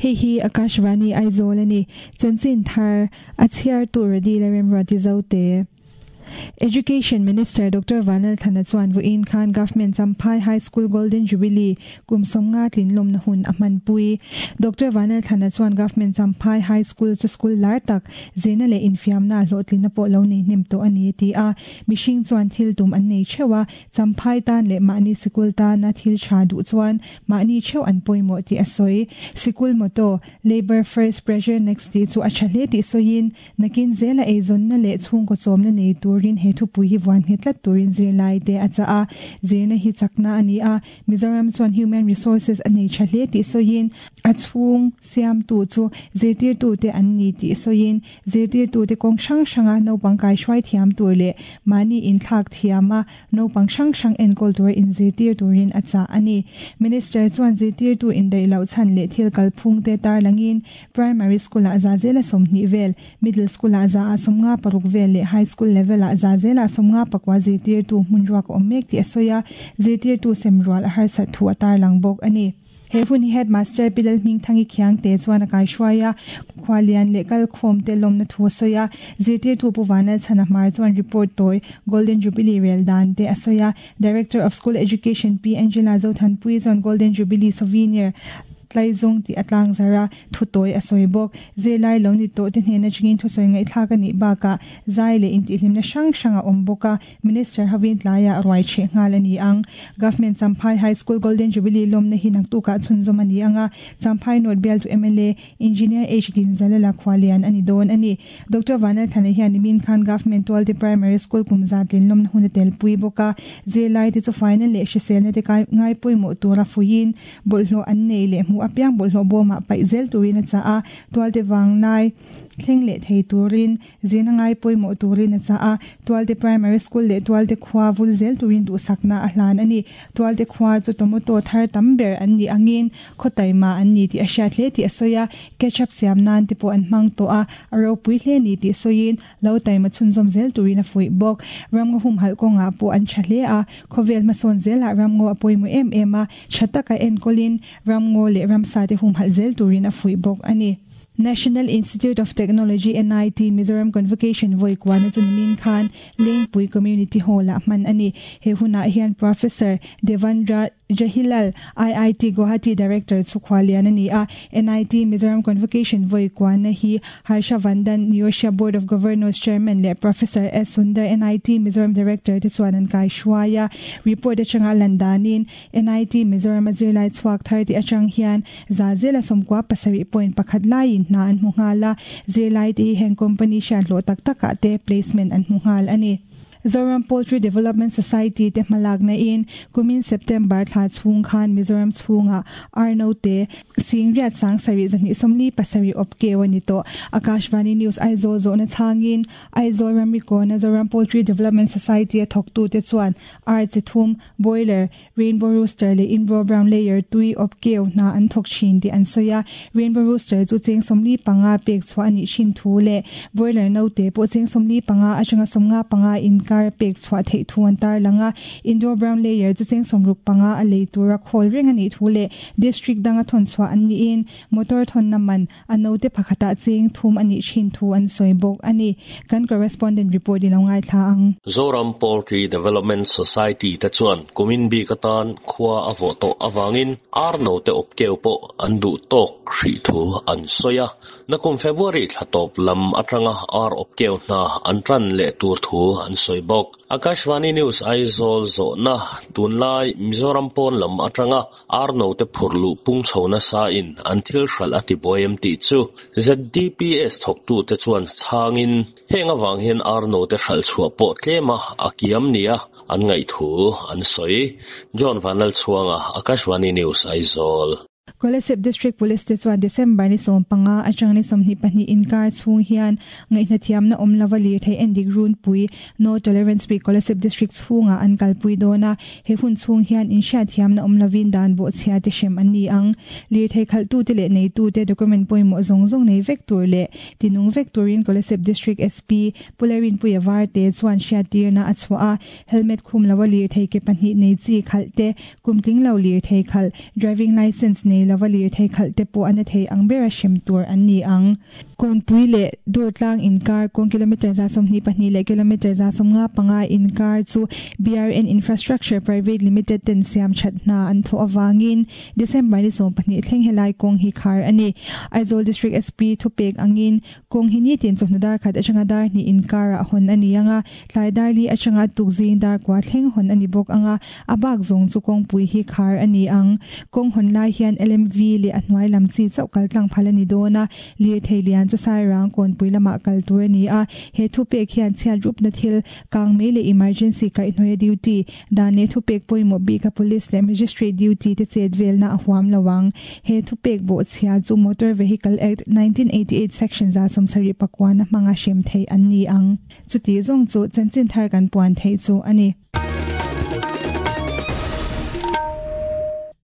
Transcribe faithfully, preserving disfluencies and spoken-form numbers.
Hei hi Akashvani Aizawl ani. Chanchin thar a chhiar tur radi la remruati zote. Education Minister Doctor Vanal Thana chuan vawiin khan Government Champhai High School Golden Jubilee kum sawmnga tlin lawmna hun a hmanpui. Doctor Vanal Thana chuan Government Champhai High School chu school lar tak zirna leh infiamna hlawhtlinna pawh lo nei hnem tawh a ni ti a. Mihring chuan thil tum an nei theuh a, Champhai tan leh mahni sikul tana thil tha duh chuan mahni theuh an pawimawh tih a sawi. Sikul motto Labour First Pressure Next tih chu a tha hle tih sawiin nakin zela eizawnna leh chhungkaw chawmna nei turin he thupui hi vuan nghet tlat turin zirlai te a chah a. Zirna hi chakna a ni a, Mizoram chuan human resources a nei tha hle tih sawiin a chhung siamtu chu zirtirtu te an ni tih sawiin zirtirtu te kawng hrang hranga naupang kai hruai thiam tur leh mahni inthlak thiam a naupang hrang hrang enkawl tur inzirtir turin a chah a ni. Minister chuan zirtirtu indaih loh chhan leh thil kalphung te tarlangin primary school ah za zela sawmhnih vel, middle school ah za a sawmnga paruk vel leh high school level ah za zela sawmnga pakua zirtirtu hmun ruak a awm mek tih a sawi a, zirtirtu sem rual a harsat thu a tarlang bawk a ni. He hun hi headmaster Pilal Hmingthangi Khiang te chuan a kai hruai a, khualian leh kalkhawm te lawmna thu a sawi a, zirtirtu Pu Vanal Chhana Hmar chuan report tawi Golden Jubilee rel dan te a sawi a, Director of School Education Pi Angela Zothanpui chuan Golden Jubilee souvenir tlaizawng tih a tlang zar a, thu tawi a sawi bawk. Zirlai lo ni tawh te hnen atangin thusawi ngaihthlak a nih bakah zai leh intihhlimna hrang hrang a awm bawk a, Minister hovin tlaiah ruai chheh nghal a ni ang. Government Champhai High School Golden Jubilee lawmna hi naktukah chhunzawm a ni ang a, Champhai North bialtu M L A Engineer H Ginzalala Khualian a ni dawn a ni. Doctor Vanal Thana hian nimin khan Government Tualte Primary School kum zat tlin lawmna hun a telpui bawk a, zirlai te chu faina leh hriselna te ngai pawimawh tura fuiin bawlhhlawh an nei leh hmuh apiang bawlhhlawh bawmah paih zel turin a chah a, Tualte vanglai thleng leh thei turin zirna ngai pawimawh turin a chah a, Tualte Primary School leh Tualte khua vul zel turin duhsakna a hlan a ni. Tualte khua chu tomato thar tam ber an ni angin khawtaima an ni tih a hriat hle tih a sawi a, ketchup siam nan te pawh an hmang tawh a, a ropui hle ni tih sawiin lo taima chhunzawm zel turin a fuih bawk. Ramngaw hum halh kawngah pawh an tha hle a, khawvel hmasawn zelah ramngaw a pawimawh em em a, tha taka enkawlin ramngaw leh ramsa te hum halh zel turin a fuih bawk a ni. National Institute of Technology N I T Mizoram Convocation vawi kuana chu nimin khan Lengpui Community Hall ah hman a ni. He hunah hian Professor Devendra Jahilal I I T Guwahati Director chu khualian a ni a. N I T Mizoram Convocation vawi kuana hi Harsha Vandan Niyosha Board of Governors Chairman leh Professor S Sundar N I T Mizoram Director te chuan an kai hruai a. Report atanga landanin N I T Mizoram a zirlai chhuak thar ti atang hian za zela sawmkua pasarih point pakhat laiin hna an hmu nghal a, zirlai te hi heng company hriat hlawh tak takah te placement an hmu nghal a ni. Zoram Poultry Development Society te hmalakna in kumin September thla chhung khan Mizoram chhunga Arno te Singriat sang sari zahni somli pasari opkeu ani to. Akashvani News Aizawl zawhna changin Aizawl ramri na Zoram Poultry Development Society a thawktu te chuan ar chi thum boiler Rainbow Rooster leh Inro Brown Layer tui opkeu hna an thawk thin tih an sawi a. Rainbow Rooster chu cheng sawmli panga pek chhuah anih thin thu leh boiler no te pawh cheng sawmli panga atanga sawmnga panga inkar pek chhuah theih thu an tarlang a. Indo Brown Layer chu cheng sawmruk panga a lei tura khawl reng anih thu leh district danga thawn chhuah an niin motor thawn na man a no te pakhatah cheng thum anih thin thu an sawi bawk a ni. Kan correspondent report i lo ngai thla ang. Zoram Poultry Development Society te chuan kumin bi katan khua a vo to awangin arno te opkeu pawh an duh tawk hrih thu an sawi a. Nakum February thla tawp lam atanga ar opkeu hna an tan leh tur thu an sawi bawk. Akashvani News Aizawl zawhna tunlai Mizoram pawn lam atanga arno te phurlu pung chhona sa in an thil hral a ti boem tih chu Z D P S thawktu te chuan changin heng awang hian arno te hral chhuah pawh tlema a kiam nia an ngaih thu an sawi. John Vanlal Chhuanga, Akashvani News Aizawl. Kolasib District Police te chuan December ni sawm panga atang ni sawmhnih pahnih inkar chhung hian ngaihna thiamna awm lova lir thei endik run pui No Tolerance Week Kolasib District chhunga an kalpui dawn a. He hun chhung hian inhriat thiamna awm lovin dan bawh chhia te hrem an ni ang. Lir thei khalh tu te leh nei tu te document pawimawh zawng zawng nei vek tur leh tinung vek turin Kolasib District S P Pularin Puia var te chuan hriat tirna a chhuah a. Helmet khum lova lir thei ke pahnih nei chi khalh te kumtling lo lir thei khalh driving license nei nei lova lirthei khalh te pawh a na thei ang bera hrem tur an ni ang. Kawnpui leh Durtlang inkar kawng kilometre za sawmhnih pahnih leh kilometre za sawmnga panga inkar chu B R N Infrastructure Private Limited ten siam that hna an thawh awangin December ni sawm pahnih thleng helai kawng hi khar a ni. Aizawl District S P thupek angin kawng hi nitin chawhnu dar khat atanga dar hnih inkar ah hawn a ni anga, tlai dar li atanga tukzing dar kua thleng hawn a ni bawk anga, a bak zawng chu kawngpui hi khar a ni ang. Kawng hawn lai hian L M V leh a hnuai lam chi chauh kal tlang phal a ni dawn a, lirthei lian chu Sairang Kawnpui lamah kal tur a ni a. He thupek hian chhiat rup na thil, kang mei leh emergency kaihhnawih duty, dan leh thupek pawimawh bika police leh magistrate duty te chet velna a huam lawang. He thupek bawh chhia chu Motor Vehicle Act nineteen eighty-eight section za sawmsarih pakua na hmanga hrem thei an ni ang. Chuti zawng chu chanchin thar kan puan thei chu a ni.